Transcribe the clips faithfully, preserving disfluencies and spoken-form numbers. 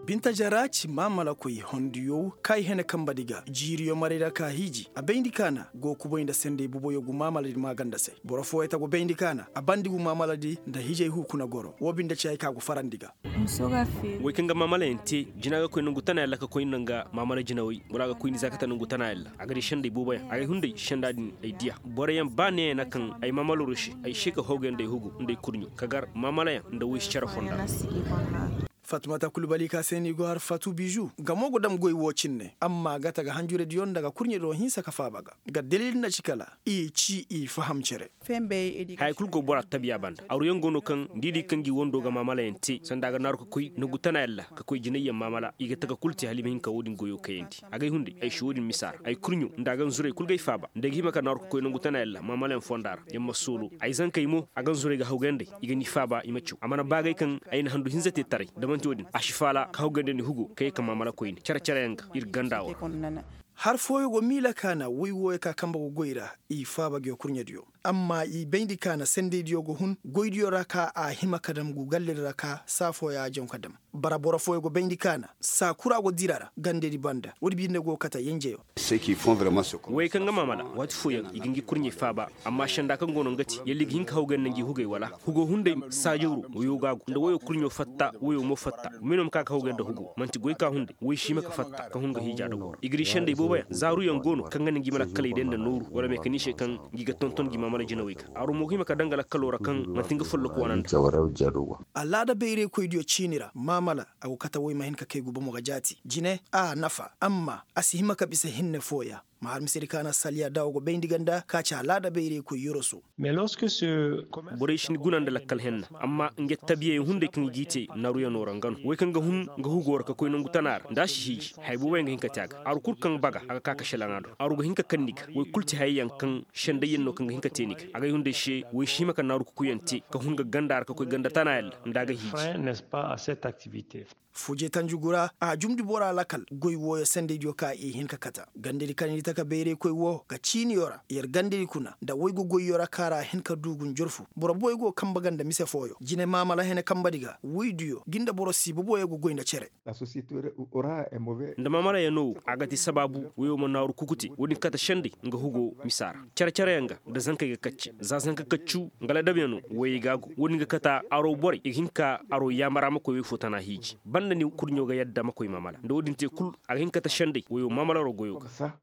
Binta jara ci maamalakoy honduyo ka i hene kambadi ga jiiriyo maray ra ka hiiji a bayndi ka na go kubay nda sendey buboyo gu maamaladi maaganda se. Boro fooyey ta go bayndi ka na a bandi gu maamaladi nda hiijay hu kuna goro woo binde ci hay ka go farandi ga. Wey kaŋ ga maamalayaŋ te jina ga koy nangu tana yalla ka koy nda nga maamala jinawey wala a ga koy ni za kate nangu tana yalla a ga di sendey booboyaŋ a ga ay hunday senda din ay diya boroyaŋ ba neeyaŋ na kaŋ ay maamala rose ay se ka hawgay nda ay hugu nda ay kurɲo ka gar maamalayaŋ nda woy si care fonda. Fatumata kulbali ka se no i go har fatu bizu nga mo go dam goy wo cinne amma ga ta ga hanjurediyo nda ga kurɲediyo hinsa ka faaba ga. Nga dalil na ci kala i ci i faham cere. Haya kulu go bora tabiya banda aruyaŋ go no kaŋ da i di kaŋ gi wando ga maamalayaŋ te sanda a ga naaru ka koy nangu tana yalla ka koy jinayyaŋ maamala i ga taka kulu te hala i ma hin ka wo-din goyo kayandi. Agay hunday ay si wo-din misa ra ay kurɲo nda a ganzurey kulu g'ay faaba nda ay ga hima ka naaru ka koy nangu tana yalla maamalayaŋ fonda ra yamma soolo ay zankey mo a ganzurey ga hawgay nd'ey. I ga ni faaba i ma caw a mana baagay kaŋ ay na handu hinza te taray da man'ti wo-din a si faala ka hawgay nda ni hugo ka ye ka maamala koyne care-careyaŋ ga ir ganda wo ra. Har fooyo go miila ka na woy wooyo ka kambe go goy ra i faaba nguyo kurɲediyo. Amma i bayndi ka na sendeydiyo go hun goydiyo ra ka a hima ka dam gu galledi ra ka saa fooyo a jaŋ ka dam. Bara boro fooyo go bayndi ka na saa kura go dira ra gandedi banda woodi binde go kate yenjeyo. Wey kaŋ ga maamala waati fooyaŋ i ga ngi kurɲey faaba. Amma senda kaŋ go no nga ti yalla i ga hin ka hawgay nda ngi hugey wala hugo hunday saajawro woyo gaagu nda woyo kurɲo fatta woyo mo fatta. Mino ma ka ka hawgay nda hugo man'ti goy ka hunday woy si hima ka fatta ka hun ga hiija da goro i ga di sendey booboyaŋ zaaruyaŋ go no kaŋ ga na ngi ma lakkaley day nda nooru wala mekaniise kaŋ ngi ga tonton ngi maamala jinawey ga. Aro mo ga hima ka daŋ ga lakkalo ra kaŋ man'ti nga folloku wane nda. Alaada bayraykoydiyo ciini ra maamala a go kate woy ma hin ka kay gu bomo ga jaati jine a nafa amma a si hima ka bisa hinne fooya. Ma har misedi ka na saliya da wo go bayndi ganda ka ci alaada bayraykoy yoroso. Borey si ni guna nda lakkal henna amma nga tabiyayaŋ hunday kaŋ i g'i te naaruyano ra nga no wey kaŋ ga hun nga hugo ra ka koy nangu tana ra nda a si hiiji haya booboyaŋ ga hin ka te a ga aru kul kaŋ baga a ga ka ka selaŋa do aru ga hin ka kande ni ga. Wey kul ti hayey yaŋ kaŋ sendayyaŋ no kaŋ ga hin ka te ni ga agay hunday se wey si hima ka naaru kukuyaŋ te ka hun ga ganda ra ka koy ganda tana yalla nda a ga hiiji. Fuje tanjugu ra a jumndi bora lakal goy wooyo sendaydiyo ka i hin ka kata gandadi kaŋ ni taka bayraykoy wo ga ciiniyo ra yer gandadi kuna nda woy go goyyo ra kaŋ ra a hin ka du gunjor fo boro boy go kambe ga nda mise fooyo jine maamala hene kambedi ga woydiyo ngi nda boro siiba boyo go goy nda cere. Nda maamalayaŋo wo a ga ti sabaabu woyo ma naaru kuku te wo-din kate senday nga hugo misa ra care-careyaŋ ga nda zankey ga kacce za zanka kaccu nga ladabyaŋo woyey ga a go wo-din ga kata aro borey i ga hin ka aro yaamara ma koy woy fo tana hiiji banda ni kurɲo ga yadda ma koy maamala nda wo-din te kul a ga hin ka ta senday woyo maamala ro goyo ga.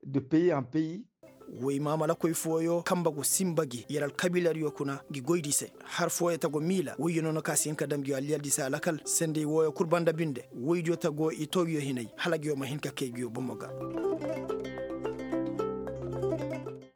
Woy maamalakoy fooyo kambe go sinba gi yer alkabiiladiyo kuna ngi goydi se har fooyo ta go miila woyyo noona ka si hin ka dam ngi aliyaldi se alakal senday wooyo kul banda binde woydiyo ta go i too ngiyo hinay hala ngiyo ma hin ka kay ngiyo bomo ga.